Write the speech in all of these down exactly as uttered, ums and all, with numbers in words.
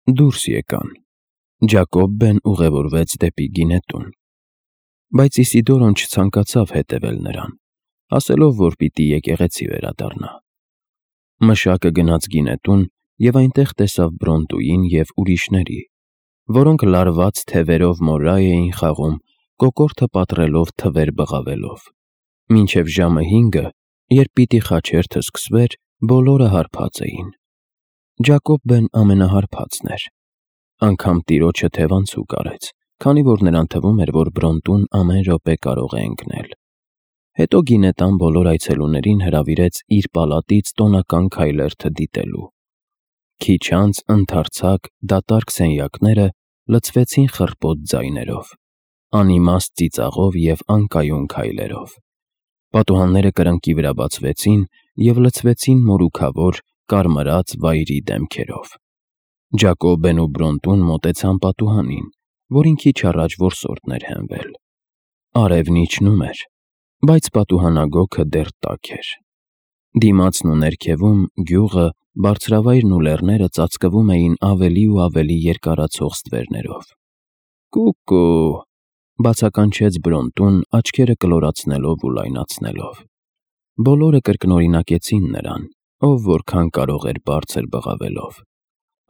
Դուրս եկան։ Ջակոբբեն ուղևորվեց դեպի գինետուն, բայց Իսիդորոն չցանկացավ հետևել նրան, ասելով, որ պիտի եկեղեցի վերադառնա։ Մշակը գնաց գինետուն և այնտեղ տեսավ Բրոնտուին և ուրիշների, որոնք լարված թևերով մորայ էին խաղում, կոկորդը պատռելով թվեր բղավելով։ Մինչև ժամը հինգը, երբ պիտի խաչերթը սկսվեր, բոլորը հարբած էին։ Ջակոբբեն ամենահարբածն էր։ Անգամ տիրոջը թևանցուկ արեց, քանի որ նրան թվում էր, որ Բրոնտուն ամեն րոպե կարող է ընկնել։ Հետո գինետան բոլոր այցելուներին հրավիրեց իր պալատից տոնական քայլերթը դիտելու։ Քիչ անց ընդարձակ, դատարկ սենյակները լցվեցին խռպոտ ձայներով, անիմաստ ծիծաղով և անկայուն քայլերով։ Պատուհանները կրկնակի վրա բացվեցին և լցվեցին մորուքավոր, կարմրած վայրի դեմքերով։ Ջակոբբեն ու Բրոնտուն մոտեցան պատուհանին, որին քիչ առաջ որսորդն էր հենվել։ Արևն իջնում էր, բայց պատուհանագոգը դեռ տաք էր։ Դիմացն ու ներքևում գյուղը, բարձրավայրն ու լեռները ծածկվում էին ավելի ու ավելի երկարացող ստվերներով։ «Կուկու», բացականչեց Բրոնտուն, աչքերը կլորացնելով ու լայնացնելով։ Բոլորը կրկնօրինակեցին նրան, ով որքան կարող էր բարձր բղավելով։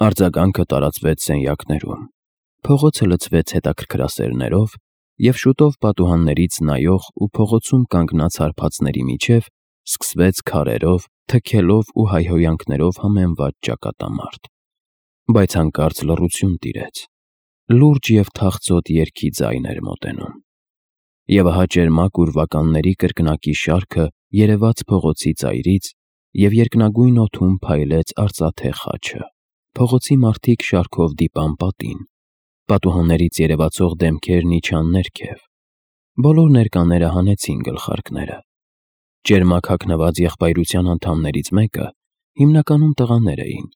Արձագանքը տարածվեց սենյակներում։ Փողոցը լցվեց հետաքրքրասերներով, և շուտով պատուհաններից նայող ու փողոցում կանգնած հարբածների միջև սկսվեց քարերով, թքելով ու հայհոյանքներով համեմված ճակատամարտ։ Բայց հանկարծ լռություն տիրեց։ Լուրջ և թախծոտ երգի ձայն էր մոտենում։ Եվ ահա ճերմակ ուրվականների կրկնակի շարքը երևաց փողոցի ծայրից, և երկնագույն օդում փայլեց արծաթե խաչը։ Փողոցի մարդիկ շարքով դիպան պատին։ Պատուհաններից երևացող դեմքերն իջան ներքև։ Բոլոր ներկաները հանեցին գլխարկները։ Ճերմակ հագնված եղբայրության անդամներից մեկը, հիմնականում տղաներ էին,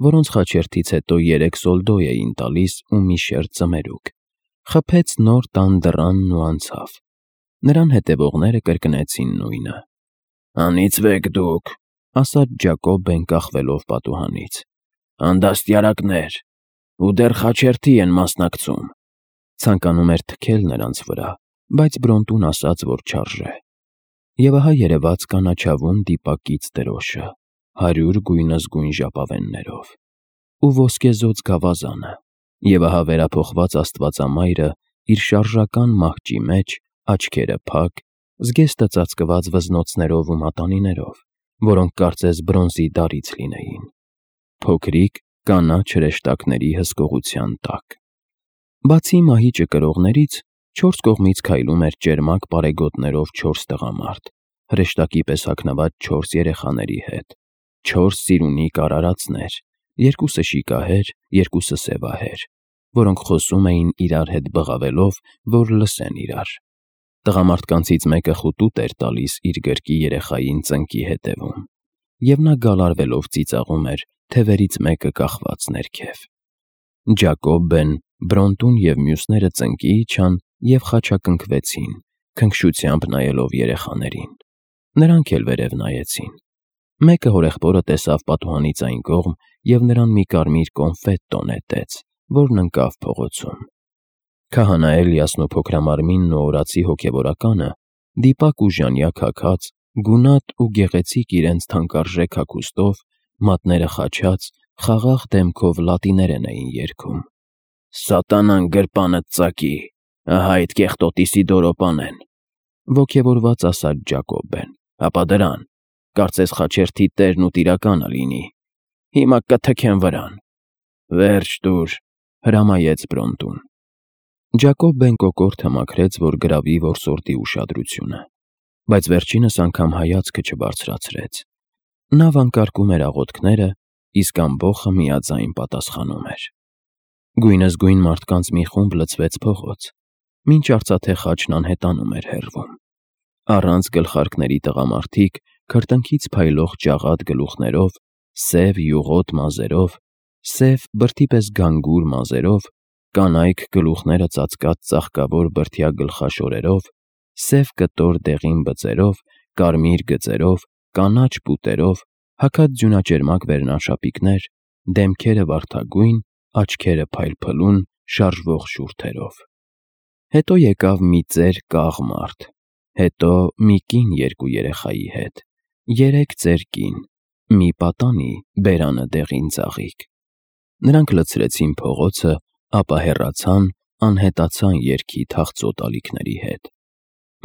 որոնց խաչերթից հետո երեք սոլդո էին տալիս ու մի շերտ ձմերուկ, խփեց նոր տան դռանն ու անցավ։ Նրան հետևողները կրկնեցին նույնը։ «Անիծվեք դուք», ասաց Ջակոբբեն կախվելով պատուհանից։ «Անդաստիարակներ, ու դեռ խաչերթի են մասնակցում»։ Ցանկանում էր թքել նրանց վրա, բայց Բրոնտուն ասաց, որ չարժե։ Եվ ահա երևաց կանաչավուն դիպակից դրոշը, հարյուր գույնզգույն ժապավեններով, ու ոսկեզօծ գավազանը, և ահա վերափոխված Աստվածամայրը իր շարժական մահճի մեջ, աչքերը փակ, զգեստը ծածկված վզնոցներով ու մատանիներով, որոնք կարծես բրոնզի դարից լինեին, փոքրիկ, կանաչ հրեշտակների հսկողության տակ։ Բացի մահիճը կրողներից, չորս կողմից քայլում էր ճերմակ պարեգոտներով չորս տղամարդ, հրեշտակի պես հագնված չորս երեխաների հետ, չորս սիրունի կարարածներ, երկուսը շիկահեր, երկուսը սևահեր, որոնք խոսում էին իրար հետ բղավելով, որ լսեն իրար։ Տղամարդկանցից մեկը խուտուտ էր տալիս իր գրկի երեխային ծնկի հետևում, և նա գալարվելով ծիծաղում էր, թևերից մեկը կախված ներքև։ Ջակոբբեն, Բրոնտուն և մյուսները ծնկի իջան և խաչակնքվեցին, քնքշությամբ նայելով երեխաներին։ Նրանք էլ վերև նայեցին։ Մեկը հորեղբորը տեսավ պատուհանից այն կողմ և նրան մի կարմիր կոնֆետ նետեց, որն ընկավ փողոցում։ Քահանա Էլիասն ու փոքրամարմինն ու օրացի հոգևորականը, դիպակ ու ժանյակ հագած, գունատ ու գեղեցիկ իրենց թանկարժեք հագուստով, մատները խաչած, խաղաղ դեմքով լատիներեն էին երգում. «Սատանան գրպանդ ծակի, ահա այդ կեղտոտ Իսիդորո պանեն», ոգևորված ասաց Ջակոբբեն։ «Հապա դրան, կարծես խաչերթի տերն ու տիրակալը լինի։ Հիմա կթքեմ վրան»։ «Վերջ տուր», հրամայեց Բրոնտուն։ Ջակոբբեն կոկորդը մաքրեց, որ գրավի որսորդի ուշադրությունը, բայց վերջինս անգամ հայացքը չբարձրացրեց։ Նա վանկարկում էր աղոթքները, իսկ ամբոխը միաձայն պատասխանում էր։ Գույնզգույն մարդկանց մի խումբ լցվեց փողոց, մինչ արծաթե խաչն անհետանում էր հեռվում։ Առանց գլխարկների տղամարդիկ, քրտինքից փայլող ջաղատ գլուխներով, սև յուղոտ մազերով, սև բրդի պես գանգուր մազերով, կանայք գլուխները ծածկած ծաղկավոր բրդյա գլխաշորերով, սև կտոր դեղին բծերով, կարմիր գծերով, կանաչ պուտերով, հագած ձյունաճերմակ վերնաշապիկներ, դեմքերը վարդագույն, աչքերը փայլփլուն շարժվող շուրթերով։ Հետո եկավ մի ծեր կաղ մարդ, հետո մի կին երկու երեխայի հետ, երեք ծեր կին, մի պատանի բերանը դեղին ծաղիկ։ Նրանք լցրեցին փողոցը, ապա հեռացան, անհետացան երգի թախծոտ ալիքների հետ։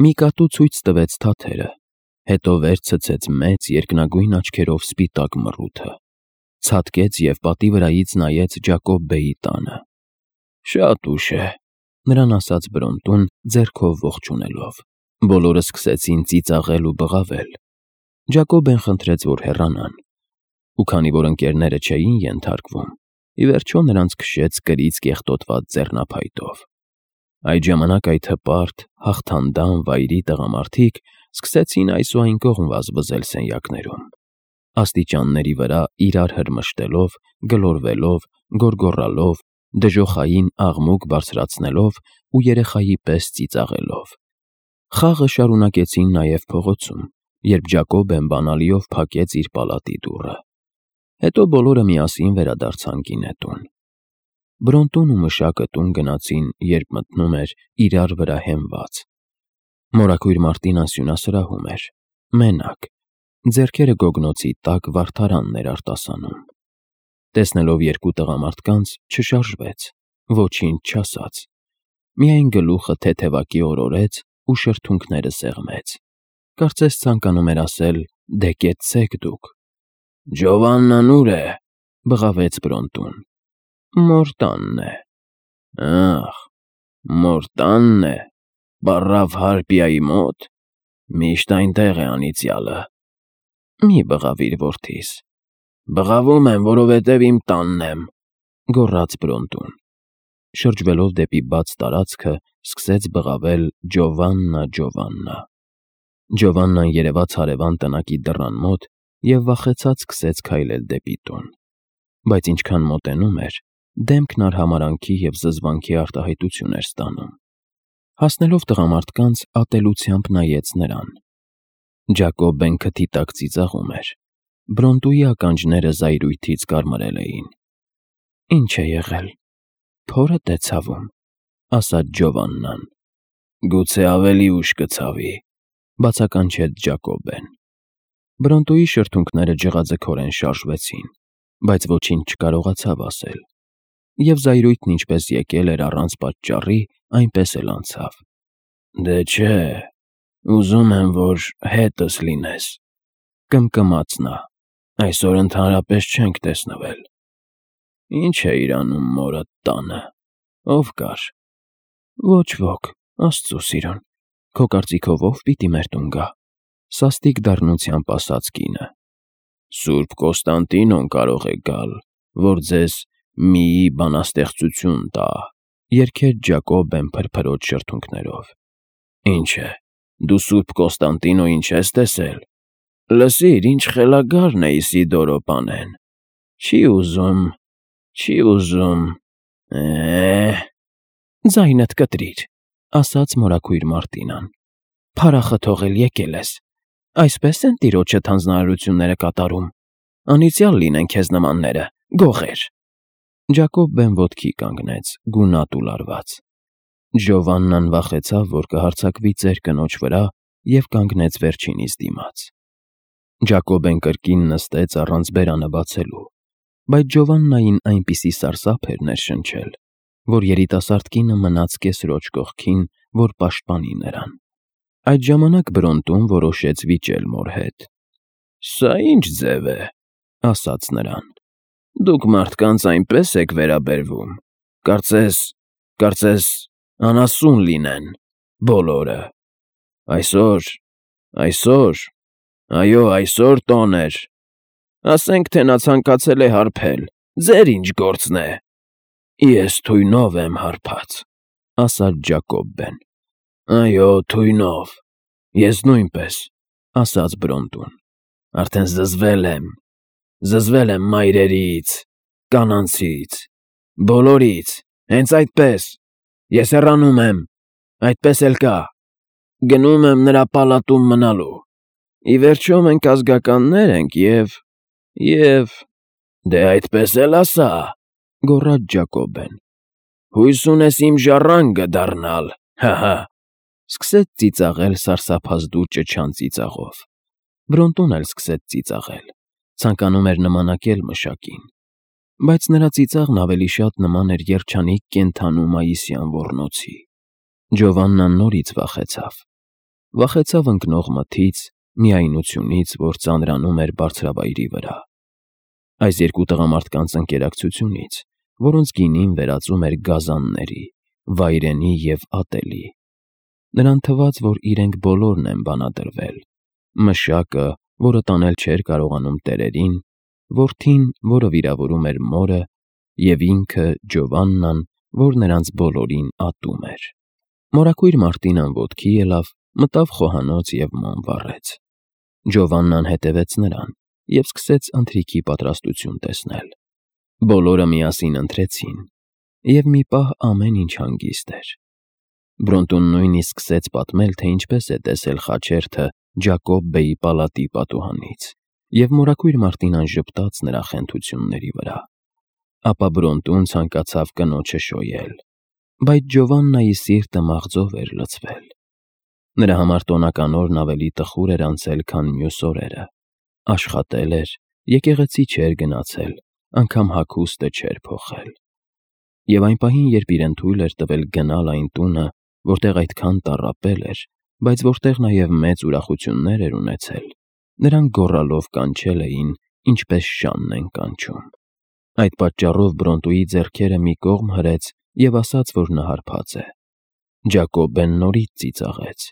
Մի կատու ցույց տվեց թաթերը, հետո վեր ցցեց մեծ երկնագույն աչքերով սպիտակ մռութը, ցատկեց և պատի վրայից նայեց Ջակոբ բեի տանը։ «Շատ ուշ է», նրան ասաց Բրոնտուն, ձեռքով ողջունելով։ Բոլորը սկսեցին ծիծաղել ու բղավել։ Ջակոբն խնդրեց, որ հեռանան, ու քանի որ ընկերները չէին ենթարկվում, ի վերջո նրանց քշեց կրից կեղտոտված ձեռնափայտով։ Այդ ժամանակ այդ հպարտ, հաղթանդամ վայրի տղամարդիկ սկսեցին այս ու այն կողմ վազվզել սենյակներում, աստիճանների վրա իրար հրմշտելով, գլորվելով, գոռգոռալով, դժոխային աղմուկ բարձրացնելով ու երեխայի պես ծիծաղելով։ Խաղը շարունակեցին նաև փողոցում, երբ Ջակոբն բանալիով փակեց իր պալատի դուռը։ Հետո բոլորը միասին վերադարձան գինետուն։ Բրոնտուն ու մշակը տուն գնացին, երբ մթնում էր իրար վրա հենված։ Մորաքույր Մարտինան սյունասրահում էր, մենակ, ձեռքերը գոգնոցի տակ վարդարանն էր արտասանում։ Տեսնելով երկու տղամարդկանց, չշարժվեց, ոչինչ չասաց, միայն գլուխը թեթևակի օրորեց ու շրթունքները սեղմեց, կարծես ցանկանում էր ասել. «Դե կեցցեք դուք»։ «Ջովաննան ուր է», բղավեց Բրոնտուն։ «Մոր տանն է»։ «Ախ, մոր տանն է, բառավ Հարպիայի մոտ, միշտ այնտեղ է անիծյալը»։ «Մի բղավիր որդիս»։ «Բղավում եմ, որովհետև իմ տանն եմ», գոռաց Բրոնտուն։ Շրջվելով դեպի բաց տարածքը, սկսեց բղավել «Ջովաննա, Ջովաննա»։ Ջովաննան երևաց հարևան տնակի դռան մոտ և վախեցած սկսեց քայլել դեպի տուն, բայց ինչքան մոտենում էր, դեմքն արհամարհանքի և զզվանքի արտահայտություն էր ստանում։ Հասնելով տղամարդկանց, ատելությամբ նայեց նրան։ Ջակոբն քթի տակ ծիծաղում էր։ Բրոնտուի ականջները զայրույթից կարմրել էին։ «Ինչ է եղել, փորդ է ցավում», ասաց Ջովաննան։ «Գուցե ավելի ուշ կցավի», բացականչեց Ջակոբն։ Բրոնտուի շրթունքները ջղաձգորեն շարժվեցին, բայց ոչինչ չկարողացավ ասել, և զայրույթն ինչպես եկել էր առանց պատճառի, այնպես էլ անցավ։ «Դե չէ, ուզում եմ, որ հետս լինես», կմկմաց նա։ «Այսօր ընդհանրապես չենք տեսնվել»։ «Ինչ էիր անում մորդ տանը, ով կար»։ «Ոչ ոք, Աստծո սիրուն, քո կարծիքով ով պիտի մեր տուն գա», սաստիկ դառնությամբ ասաց կինը։ «Սուրբ Կոստանդինոն կարող է գալ, որ ձեզ միի բանաստեղծություն տա», երգեց Ջակոբն փրփրոտ շրթունքներով։ «Ինչ է, դու Սուրբ Կոստանդինոյին չես տեսել։ Լսիր, ինչ խելագարն է Իսիդորո պանեն։ Չի ուզում, չի ուզում, է՜»։ «Ձայնդ կտրիր», ասաց մորաքույր Մարտինան։ «Փարախը թողել եկել ես։ Այսպես են տիրոջդ հանձնարարությունները կատարում։ Անիծյալ լինեն քեզ նմանները, գողեր»։ Ջակոբն ոտքի կանգնեց, գունատ ու լարված։ Ջովաննան վախեցավ, որ կհարձակվի ծեր կնոջ վրա, և կանգնեց վերջինիս դիմաց։ Ջակոբն կրկին նստեց առանց բերանը բացելու, բայց Ջովաննային այնպիսի սարսափ էր ներշնչել, որ երիտասարդ կինը մնաց կեսրոջ կողքին, որ պաշտպանի նրան։ Այդ ժամանակ Բրոնտուն որոշեց վիճել մոր հետ։ «Սա ի՞նչ ձև է», ասաց նրան։ «Դուք մարդկանց այնպես եք վերաբերվում, կարծես, կարծես անասուն լինեն բոլորը։ Այսօր, այսօր, այո, այսօր տոն էր։ Ասենք թե նա ցանկացել է հարբել, ձեր ինչ գործն է»։ «Ես թույնով եմ հարբած», ասաց Ջակոբն։ «Այո, թույնով, ես նույնպես», ասաց Բրոնտուն։ «Արդեն զզվել եմ, զզվել եմ մայրերից, կանանցից, բոլորից, հենց այդպես, ես հեռանում եմ, այդպես էլ կա։ Գնում եմ նրա պալատում մնալու։ Ի վերջո մենք ազգականներ ենք և… և… Դե այդպես էլ ասա, գոռաց Ջակոբեն։ Հույս ունես իմ ժառանգը դառնալ, հը՛հը։ Սկսեց ծիծաղել սարսափազդու ճչան ծիծաղով։ Բրոնտուն էլ սկսեց ծիծաղել, ցանկանում էր նմանակել մշակին, բայց նրա ծիծաղն ավելի շատ նման էր երջանիկ կենդանու մայիսյան ոռնոցի։ Ջովաննան նորից վախեցավ։ Վախեցավ ընկնող մթից, միայնությունից, որ ծանրանում էր բարձրավայրի վրա։ Այս երկու տղամարդկանց ընկերակցությունից, որոնց գինին վերածում էր գազանների, վայրենի և ատելի։ Նրան թվաց, որ իրենք բոլորն են բանադրվել. մշակը, որը տանել չէր կարողանում տերերին, որդին, որը վիրավորում էր մորը, և ինքը՝ Ջովաննան, որ նրանց բոլորին ատում էր։ Մորաքույր Մարտինան ոտքի ելավ, մտավ խոհանոց և ման վառեց։ Ջովաննան հետևեց նրան և սկսեց ընթրիքի պատրաստություն տեսնել։ Բոլորը միասին ընթրեցին, և մի պահ ամեն ինչ հանգիստ էր։ Բրոնտուն նույնիսկ սկսեց պատմել, թե ինչպես է տեսել խաչերթը Ջակոբ բեյի պալատի պատուհանից, և մորաքույր Մարտինան ժպտաց նրա խենթությունների վրա։ Ապա Բրոնտուն ցանկացավ կնոջը շոյել, բայց Ջովաննայի սիրտը մաղձով էր լցվել։ Նրա համար տոնական օրն ավելի տխուր էր անցել, քան մյուս օրերը։ Աշխատել էր, եկեղեցի չէր գնացել, անգամ հագուստը չէր փոխել։ Եվ այն պահին, երբ իրեն թույլ էր տվել գնալ այն տունը, որտեղ այդքան տառապել էր, բայց որտեղ նաև մեծ ուրախություններ էր ունեցել, նրան գոռալով կանչել էին, ինչպես շանն են կանչում։ Այդ պատճառով Բրոնտուի ձեռքերը մի կողմ հրեց և ասաց, որ նա հարբած է։ Ջակոբեն նորից ծիծաղեց,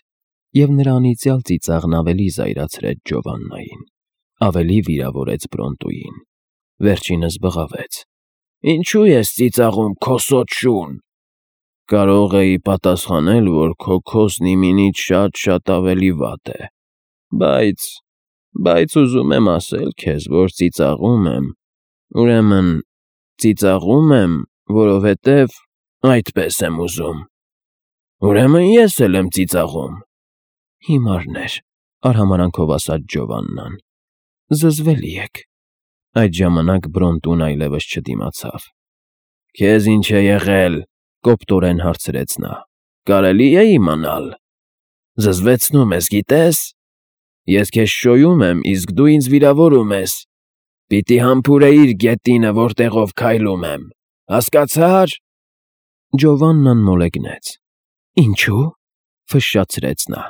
և նրա անիծյալ ծիծաղն ավելի զայրացրեց Ջովաննային, ավելի վիրավորեց Բրոնտուին։ Վերջինս բղավեց. «Ինչու ես ծիծաղում, քոսոտ շուն»։ Կարող էի պատասխանել, որ քո քոսն իմինից շատ-շատ ավելի վատ է, բայց… բայց ուզում եմ ասել քեզ, որ ծիծաղում եմ, ուրեմն, ծիծաղում եմ, որովհետև այդպես եմ ուզում։ Ուրեմն ես էլ եմ ծիծաղում։ Հիմարներ, արհամարհանքով ասաց Ջովաննան, զզվելի եք։ Այդ ժամանակ Բրոնտուն այլևս չդիմացավ։ Քեզ ինչ է եղել, կոպտորեն հարցրեց նա, կարելի է իմանալ։ Զզվեցնում ես, գիտես։ Ես քեզ շոյում եմ, իսկ դու ինձ վիրավորում ես։ Պիտի համբուրեիր գետինը, որտեղով քայլում եմ, հասկացա՞ր։ Ջովաննան մոլեգնեց։ Ինչու՞։ Ֆշշացրեց նա։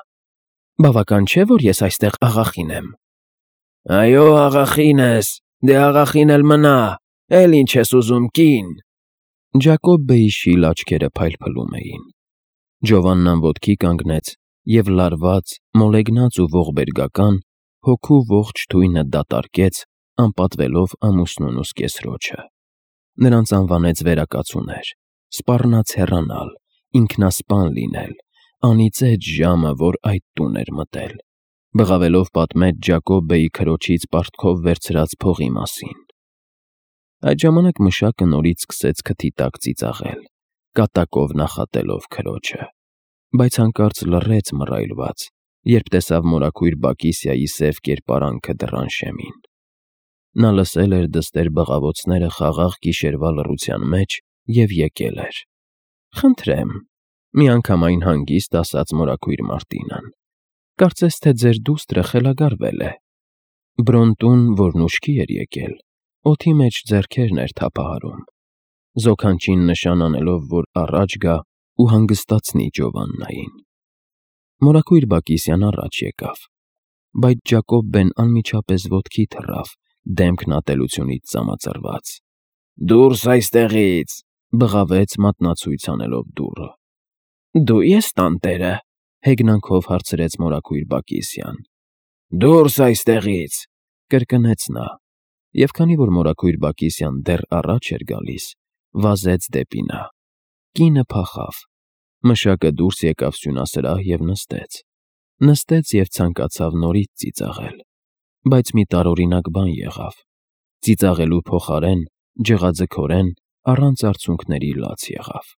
Բավական չէ, որ ես այստեղ աղախին եմ։ Այո, աղախին ես, դե աղախին էլ մնա, էլ ինչ ես ուզում, կին։ Ջակոբ բեյի շիլ աչքերը փայլփլում էին։ Ջովաննան ոտքի կանգնեց և լարված, մոլեգնած ու ողբերգական, հոգու ողջ թույնը դատարկեց, անպատվելով ամուսնուն ու սկեսրոջը։ Նրանց անվանեց վերակացուներ, սպառնաց հեռանալ, ինքնասպան լինել, անիծեց ժամը, որ այդ տուն էր մտել, բղավելով պատմեց Ջակոբ բեյի քրոջից պարտքով վերցրած փողի մասին։ Այդ ժամանակ մշակը նորից սկսեց քթի տակ ծիծաղել, կատակով նախատելով քրոջը, բայց հանկարծ լռեց մռայլված, երբ տեսավ մորաքույր Բակիսիայի սև կերպարանքը դռան շեմին։ Նա լսել էր դստեր բղավոցները խաղաղ գիշերվա լռության մեջ և եկել էր։ Խնդրեմ, միանգամայն հանգիստ ասաց մորաքույր Մարտինան, կարծես թե ձեր դուստրը խելագարվել է։ Բրոնտուն, որն ուշքի էր եկել, օդի մեջ ձեռքերն էր թափահարում, զոքանչին նշան անելով, որ առաջ գա ու հանգստացնի Ջովաննային։ Մորաքույր Բակիսյան առաջ եկավ, բայց Ջակոբ բեն անմիջապես ոտքի թռավ, դեմքն ատելությունից ծամածրված։ Դուրս այստեղից, բղավեց մատնացույց անելով դուռը։ Դու ես տանտերը, հեգնանքով հարցրեց մորաքույր Բակիսյան։ Դուրս այստեղից, կրկնեց նա, և քանի որ մորաքույր Բակիսյան դեռ առաջ էր գալիս, վազեց դեպի նա։ Կինը փախավ։ Մշակը դուրս եկավ սյունասրահ և նստեց։ Նստեց և ցանկացավ նորից ծիծաղել, բայց մի տարօրինակ բան եղավ. ծիծաղելու փոխարեն ջղաձգորեն, առանց արցունքների լաց եղավ։